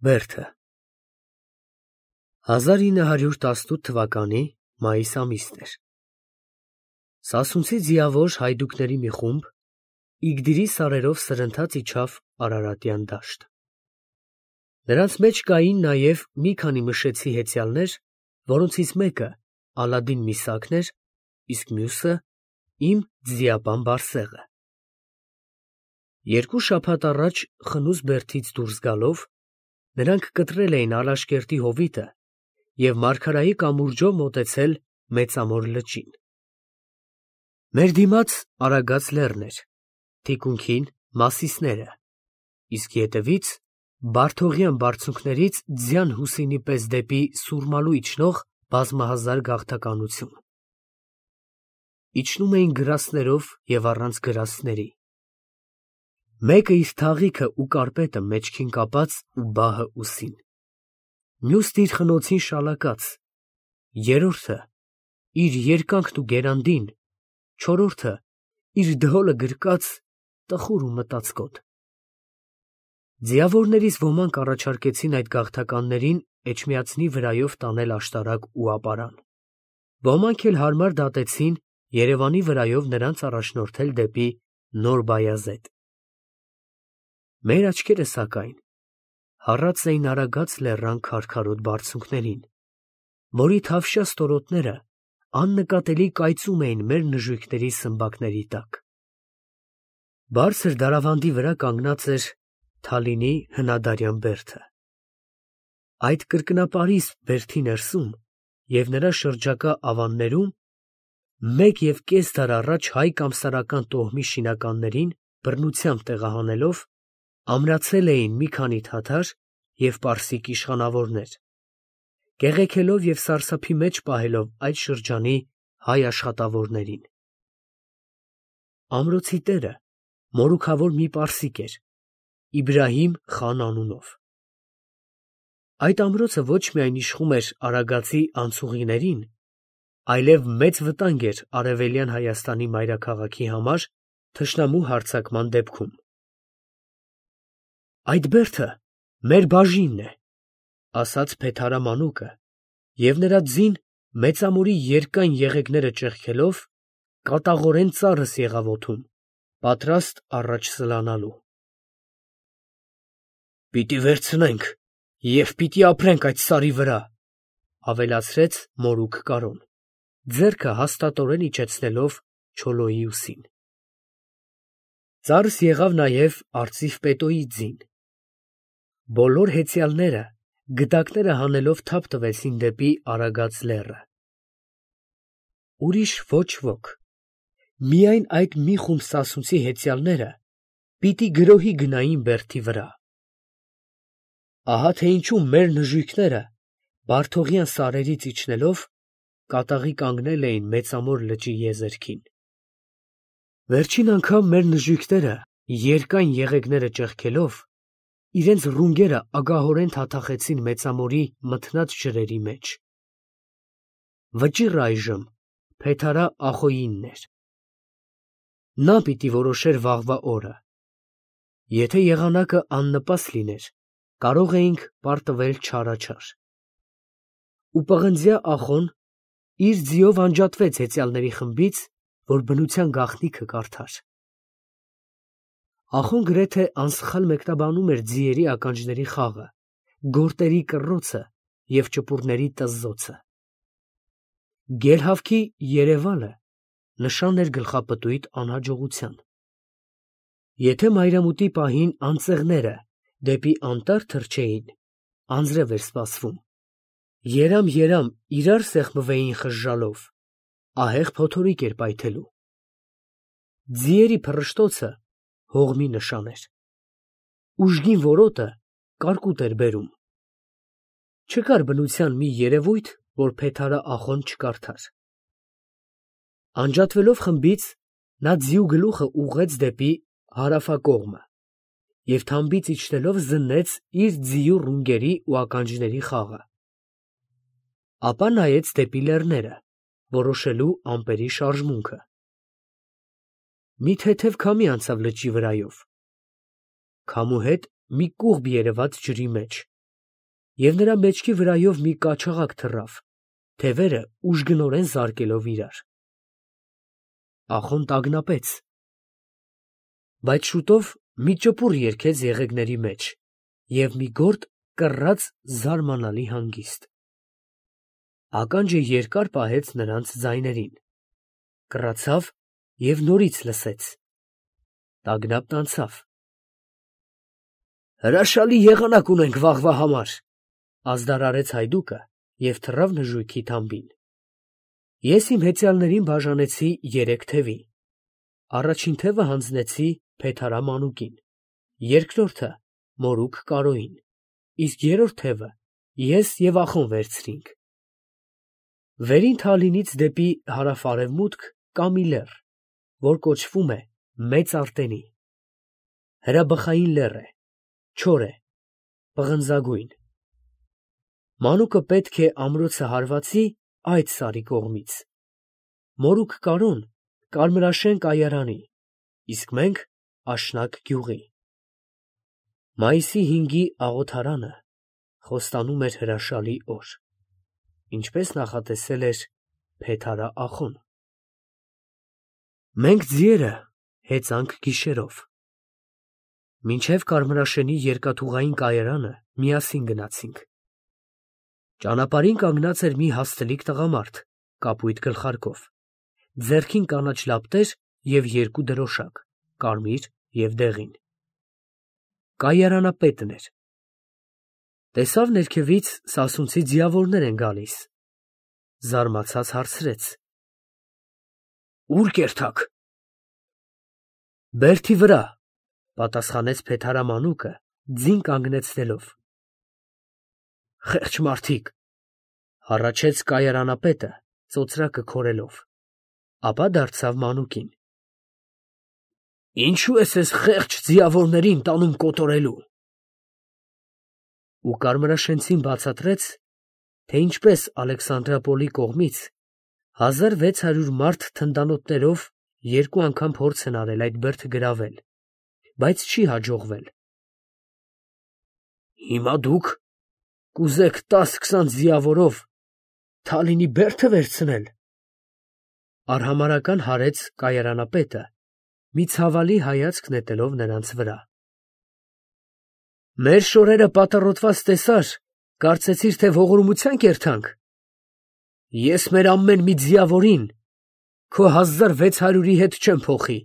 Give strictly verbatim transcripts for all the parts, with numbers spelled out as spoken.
Բերդը հազար ինը հարյուր տասնութ թվականի մայիս ամիսն էր։ Սասունցի ձիավոր հայդուկների մի խումբ Իգդիրի սարերով սրընթաց իջավ Արարատյան դաշտ։ Նրանց մեջ կային նաև մի քանի մշեցի հեծյալներ, որոնցից մեկը Ալադին Միսակն էր, իսկ մյուսը իմ ձիապան Բարսեղը։ Երկու շաբաթ առաջ խնուց Բերդից դուրս գալով, նրանք կտրել էին Ալաշկերտի հովիտը և Մարգարայի կամուրջով մոտեցել Մեծամոր լճին։ Մեր դիմաց Արագած լեռն էր, թիկունքին Մասիսները, իսկ ետևից Բարդողյան բարձունքներից Ձյան Հուսինի պես դեպի Սուրմալու իջնող բազմահազար գաղթականություն։ Իջնում էին գրաստներով և առանց գրաստների, մեկը իր թաղիքը ու կարպետը մեջքին կապած ու բահը ուսին, մյուսն իր խնոցին շալակած, երրորդը իր երկանքն ու գերանդին, չորրորդը իր դհոլը գրկած տխուր ու մտածկոտ։ Ձիավորներից ոմանք առաջարկեցին այդ գաղթականներին Էջմիածնի վրայով տանել աշտարակ ու ապարան, ոմանք էլ հարմար դատեցին Երևանի վրայով նրանց առաջնորդել դեպի Նոր Բայազեդ։ Մեր աչքերը, սակայն, հառած էին Արագած լեռան քարքարոտ բարձունքներին, որի թավշյա ստորոտները աննկատելի կայծում էին մեր նժույգների սմբակների տակ։ Բարձր դարավանդի վրա կանգնած էր Թալինի հնադարյան բերդը։ Այդ կրկնապարիսպ բերդի ներսում և նրա շրջակա ավաններում մեկ և կես դար առաջ հայ կամսարական տոհմի շինականներին բռնությամբ տեղահանելով, ամրացել էին մի քանի թաթար և պարսիկ իշխանավորներ, կեղեքելով և սարսափի մեջ պահելով այդ շրջանի հայ աշխատավորներին։ Ամրոցի տերը մորուքավոր մի պարսիկ էր, Իբրահիմ խան անունով։ Այդ ամրոցը ոչ միայն իշխում էր Արագածի անցուղիներին, այլև մեծ վտանգ էր Արևելյան Հայաստանի մայրաքաղաքի համար թշնամու հարձակման դեպքում։ Այդ բերդը մեր բաժինն է, ֊ ասաց Փեթհարամանուկը, և նրա ձին Մեծամորի երկայն եղեգները ճեղքելով, կատաղորեն ծառս եղավ օդում, պատրաստ առաջ սլանալու։ Պիտի վերցնենք և պիտի ապրենք այդ սարի վրա, ֊ ավելացրեց մորուք Կարոն, ձեռքը հաստատորեն իջեցնելով Չոլոյի ուսին։ Ծառս եղավ նաև արծիվ Պետոյի ձին։ Բոլոր հեծյալները գդակները հանելով թափ տվեցին դեպի Արագած լեռը։ Ուրիշ ոչ ոք, միայն այդ մի խումբ սասունցի հեծյալները պիտի գրոհի գնային բերդի վրա։ Ահա թե ինչու մեր նժույգները Բարդողյան սարերից իջնելով կատաղի կանգնել էին Մեծամոր լճի եզերքին։ Վերջին անգամ մեր նժույգները երկայն եղեգները ճեղքելով, իրենց ռունգերը ագահորեն թաթախեցին Մեծամորի մթնած ջրերի մեջ։ Վճիռը այժմ Փեթհարա Ախոյինն էր։ Նա պիտի որոշեր վաղվա օրը։ Եթե եղանակը աննպաստ լիներ, կարող էինք պարտվել չարաչար։ Ու պղնձյա Ախոն իր ձիով անջատվեց հեծյալների խմբից, որ բնության գաղտնիքը կարդար։ Ախոն գրեթե անսխալ մեկնաբանում էր ձիերի ականջների խաղը, գորտերի կռոցը և ճպուրների տզզոցը։ Գելհավքի երևալը նշան էր գլխապտույտ անհաջողության։ Եթե մայրամուտի պահին անծեղները դեպի անտառ թռչեին, անձրև էր սպասվում, երամ֊երամ իրար սեղմվեին խժժալով, ահեղ փոթորիկ էր պայթելու։ Ձիերի փռշտոցը հողմի նշան էր։ Ուժգին որոտը կարկուտ էր բերում։ Չկար բնության մի երևույթ, որ Փեթհարա Ախոն չկարդար։ Անջատվելով խմբից, նա ձիու գլուխը ուղղեց դեպի հարավակողմը և թամբից իջնելով զննեց իր ձիու ռունգերի ու ականջների խաղը։ Ապա նայեց դեպի լեռները, որոշելու ամպերի շարժմունքը։ Մի թեթև քամի անցավ լճի վրայով։ Քամու հետ մի կուղբ երևաց ջրի մեջ, և նրա մեջքի վրայով մի կաչաղակ թռավ, թևերը ուժգնորեն զարկելով իրար։ Ախոն տագնապեց, բայց շուտով մի ճպուր երգեց եղեգների մեջ և մի գորտ կռաց զարմանալի հանգիստ։ Ականջը երկար պահեց նրանց ձայներին, կռացավ և նորից լսեց, տագնապն անցավ։ «Հրաշալի եղանակ ունենք վաղվա համար», ազդարարեց հայդուկը և թռավ նժույգի թամբին։ Ես իմ հեծյալներին բաժանեցի երեք թևի. առաջին թևը հանձնեցի Փեթհարամ անուկին, երկրորդը մորուք Կարոյին, իսկ երրորդ թևը ես և Ախոն վերցրինք։ Վերին Թալինից դեպի հարավ֊արևմուտք կա մի լեռ, որ կոչվում է Մեծ Արտենի։ Հրաբխային լեռ է, չոր է, պղնձագույն։ Մանուկը պետք է ամրոցը հարվածի այդ սարի կողմից, մորուք Կարոն Կարմրաշեն կայարանի, իսկ մենք Աշնակ գյուղի։ Մայիսի հինգի աղոթարանը խոստանում էր հրաշալի օր, ինչպես նախատեսել էր Փեթհարա Ախոն։ Մենք ձիերը հեծանք գիշերով։ Մինչև Կարմրաշենի երկաթուղային կայարանը միասին գնացինք։ Ճանապարհին կանգնած էր մի հաստլիկ տղամարդ կապույտ գլխարկով, ձեռքին կանաչ լապտեր և երկու դրոշակ, կարմիր և դեղին։ Կայարանապետն էր։ Տեսավ ներքևից սասունցի ձիավորներ են գալիս, զարմացած հարցրեց. «Ո՞ւր կերթաք»։ «Բերդի վրա», պատասխանեց Փեթհարամ անուկը ձին կանգնեցնելով։ «Խեղճ մարդիկ», հառաչեց կայարանապետը ծոծրակը քորելով, ապա դարձավ մանուկին. «Ինչո՞ւ ես էս խեղճ ձիավորներին տանում կոտորելու»։ Ու Կարմրաշենցին բացատրեց, թե ինչպես Ալեքսանդրապոլի կողմից հազար վեց հարյուր մարդ թնդանոթներով երկու անգամ փորձ են արել այդ բերդը գրավել, բայց չի հաջողվել։ «Հիմա դուք կուզեք տաս֊քսան ձիավորով Թալինի բերդը վերցնել», արհամարհական հարեց կայարանապետը, մի ցավալի հայացք նետելով նրանց վրա։ «Մեր շորերը պատառոտված տեսար, կարծեցիր, թե ողորմության կերթանք։ Ես մեր ամեն մի ձիավորին քո հազար վեց հարյուրի հետ չեմ փոխի»,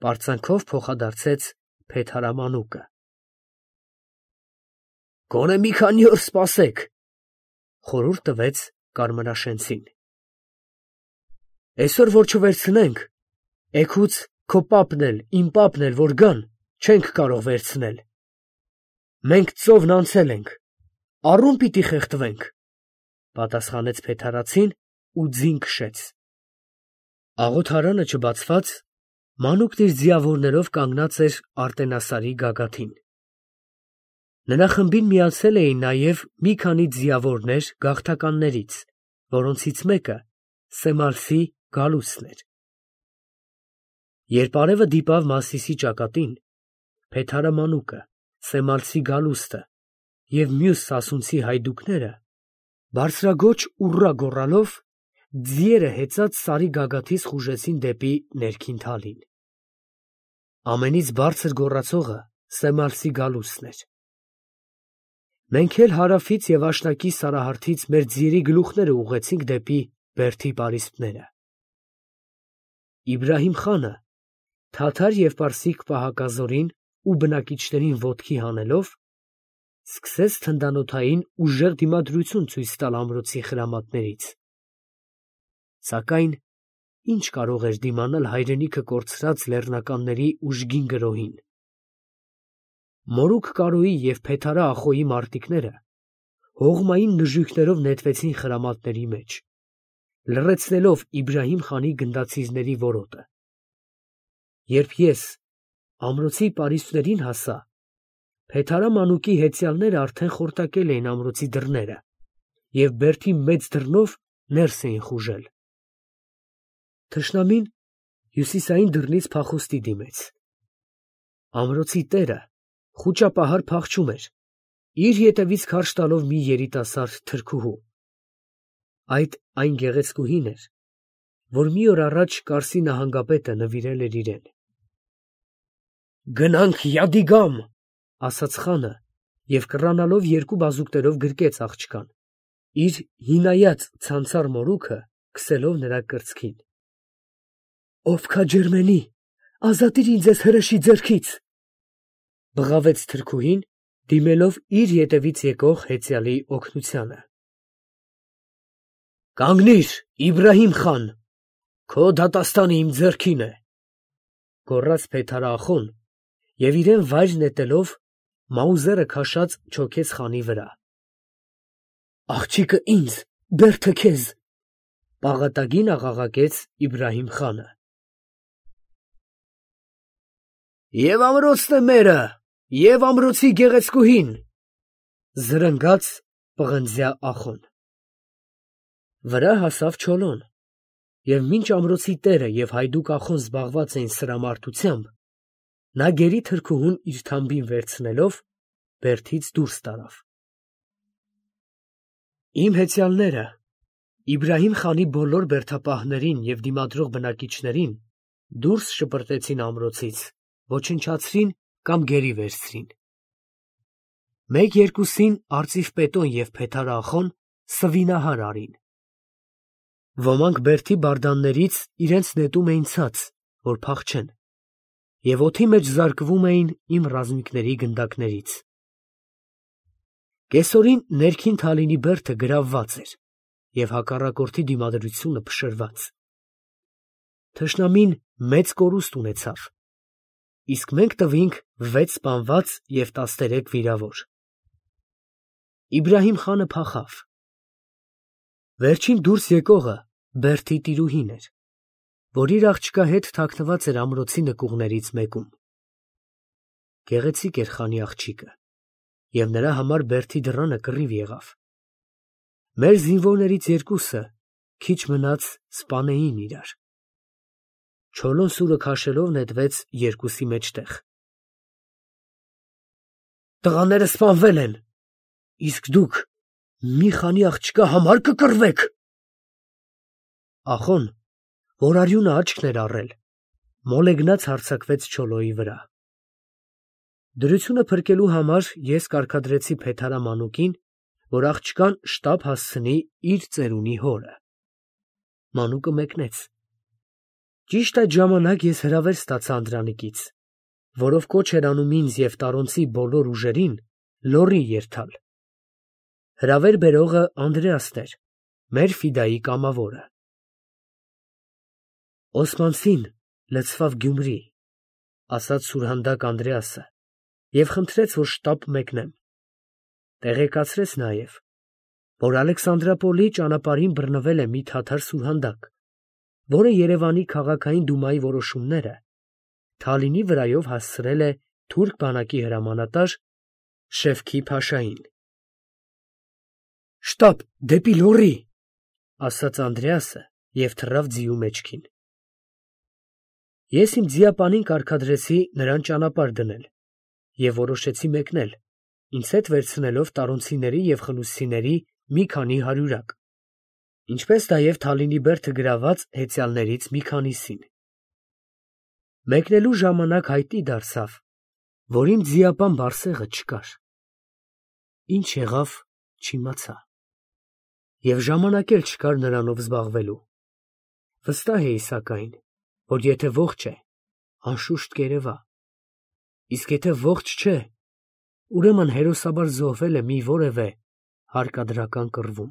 պարծանքով փոխադարձեց Փեթհարամ անուկը։ «Գոնե մի քանի օր սպասեք», խորհուրդ տվեց Կարմրաշենցին։ «Այսօր որ չվերցնենք, էգուց քո պապն էլ, իմ պապն էլ որ գան, չենք կարող վերցնել։ Մենք ծովն անցել ենք, առում պիտի խեղդվենք», պատասխանեց փեթհարացին ու ձին քշեց։ Աղոթարանը չբացված, մանուկն իր ձիավորներով կանգնած էր Արտենասարի գագաթին։ Նրա խմբին միացել էին նաև մի քանի ձիավորներ գաղթականներից, որոնցից մեկը Սեմալսի Գալուստն էր։ Երբ արևը դիպավ Մասիսի ճակատին, Փեթհարամ անուկը, Սեմալսի Գալուստը և մյուս սասունցի հայդուկները բարձրաձոչ ուռա գոռալով ձիերը հեծած սարի գագաթից խուժեցին դեպի ներքին Թալին։ Ամենից բարձր գոռացողը Սեմալսի Գալուստն էր։ Մենք էլ հարավից և աշնակի սարահարթից մեր ձիերի գլուխները ուղղեցինք դեպի բերդի պարիսպները։ Իբրահիմ խանը թաթար և պարսիկ պահակազորին ու բնակիչներին ոտքի հանելով, սկսեց թնդանոթային ուժեղ դիմադրություն ցույց տալ ամրոցի խրամատներից։ Սակայն ի՞նչ կարող էր դիմանալ հայրենիքը կորցրած լեռնականների ուժգին գրոհին։ Մորուք Կարոյի և Փեթհարա Ախոյի մարտիկները հողմային նժույգներով նետվեցին խրամատների մեջ, լռեցնելով Իբրահիմ խանի գնդացիրների որոտը։ Երբ ես ամրոցի պարիսպներին հասա, Փեթհարամ անուկի հեծյալները արդեն խորտակել էին ամրոցի դռները և բերդի մեծ դռնով ներս էին խուժել։ Թշնամին հյուսիսային դռնից փախուստի դիմեց։ Ամրոցի տերը խուճապահար փախչում էր, իր ետևից քարշ տալով մի երիտասարդ թրքուհու։ Այդ այն գեղեցկուհին էր, որ մի օր առաջ Կարսի նահանգապետը նվիրել էր իրեն։ «Գնանք Յադիգամ», ասաց խանը և կռանալով երկու բազուկներով գրկեց աղջկան, իր հինայած ցանցառ մորուքը քսելով նրա կրծքին։ «Ով քաջերմենի, ազատիր ինձ էս հրեշի ձեռքից», բղավեց թրքուհին, դիմելով իր ետևից եկող հեծյալի օգնությանը։ «Կանգնի՛ր, Իբրահիմ խան, քո դատաստանը իմ ձեռքին է», գոռաց Փեթհար֊ախոն և իրեն վայր նետելով մաուզերը քաշած չոքեց խանի վրա։ «Աղջիկը ինձ, բերդը քեզ», պաղատագին աղաղակեց Իբրահիմ խանը։ «Եվ ամրոցն է մերը, և ամրոցի գեղեցկուհին», զրնգաց պղնձյա ախոն։ Վրա հասավ Չոլոն, և մինչ ամրոցի տերը և հայդուկ ախոն զբաղված էին սրամարտությամբ, նա գերի թրքուհուն իր թամբին վերցնելով բերդից դուրս տարավ։ Իմ հեծյալները Իբրահիմ խանի բոլոր բերդապահներին և դիմադրող բնակիչներին դուրս շպրտեցին ամրոցից, ոչնչացրին կամ գերի վերցրին։ Մեկ֊երկուսին արծիվ Պետոն և Փեթար֊ախոն սվինահար արին։ Ոմանք բերդի բարդաններից իրենց նետում էին ցած, որ փախչեն, և օդի մեջ զարկվում էին իմ ռազմիկների գնդակներից։ Կեսօրին ներքին Թալինի բերդը գրավված էր և հակառակորդի դիմադրությունը փշրված։ Թշնամին մեծ կորուստ ունեցավ, իսկ մենք տվինք վեց սպանված և տասներեք վիրավոր։ Իբրահիմ խանը փախավ։ Վերջին դուրս եկողը բերդի տիրուհին էր, որ իր աղջկա հետ թաքնված էր ամրոցի նկուղներից մեկում։ Գեղեցիկ էր խանի աղջիկը, և նրա համար բերդի դռանը կռիվ եղավ։ Մեր զինվորներից երկուսը քիչ մնաց սպանեին իրար։ Չոլոն սուրը քաշելով նետվեց երկուսի մեջտեղ։ «Տղաները սպանվել են, իսկ դուք մի խանի աղջկա համար կկռվեք»։ Ախոն, որ արյունը աչքն էր առել, մոլեգնած հարձակվեց Չոլոյի վրա։ Դրությունը փրկելու համար ես կարգադրեցի Փեթհարամանուկին, որ աղջկան շտապ հասցնի իր ծերունի հորը։ Մանուկը մեկնեց։ Ճիշտ այդ ժամանակ ես հրավեր ստացա Անդրանիկից, որով կոչ էր անում ինձ և Տարոնցի բոլոր ուժերին լոռի երթալ։ Հրավեր բերողը Անդրեասն էր, մեր ֆիդայի կամավորը։ «Օսմանցին լցվավ Գյումրի», ասաց սուրհանդակ Անդրեասը և խնդրեց, որ շտապ մեկնեմ։ Տեղեկացրեց նաև, որ Ալեքսանդրապոլի ճանապարհին բռնվել է մի թաթար սուրհանդակ, որը Երևանի քաղաքային դումայի որոշումները Թալինի վրայով հասցրել է թուրք բանակի հրամանատար Շևքի Փաշային։ «Շտապ դեպի լոռի», ասաց Անդրեասը և թռավ ձիու մեջքին։ Ես իմ ձիապանին կարգադրեցի նրան ճանապարհ դնել և որոշեցի մեկնել, ինձ հետ վերցնելով տարոնցիների և խնութցիների մի քանի հարյուրակ, ինչպես նաև Թալինի բերդը գրաված հեծյալներից մի քանիսին։ Մեկնելու ժամանակ հայտնի դարձավ, որ իմ ձիապան Բարսեղը չկար։ Ինչ եղավ, չիմացա, և ժամանակ էլ չկար նրանով զբաղվելու։ Վստահ էի սակայն, որ եթե ողջ է, անշուշտ կերևա, իսկ եթե ողջ չէ, ուրեմն հերոսաբար զոհվել է մի որևէ հարկադրական կռվում։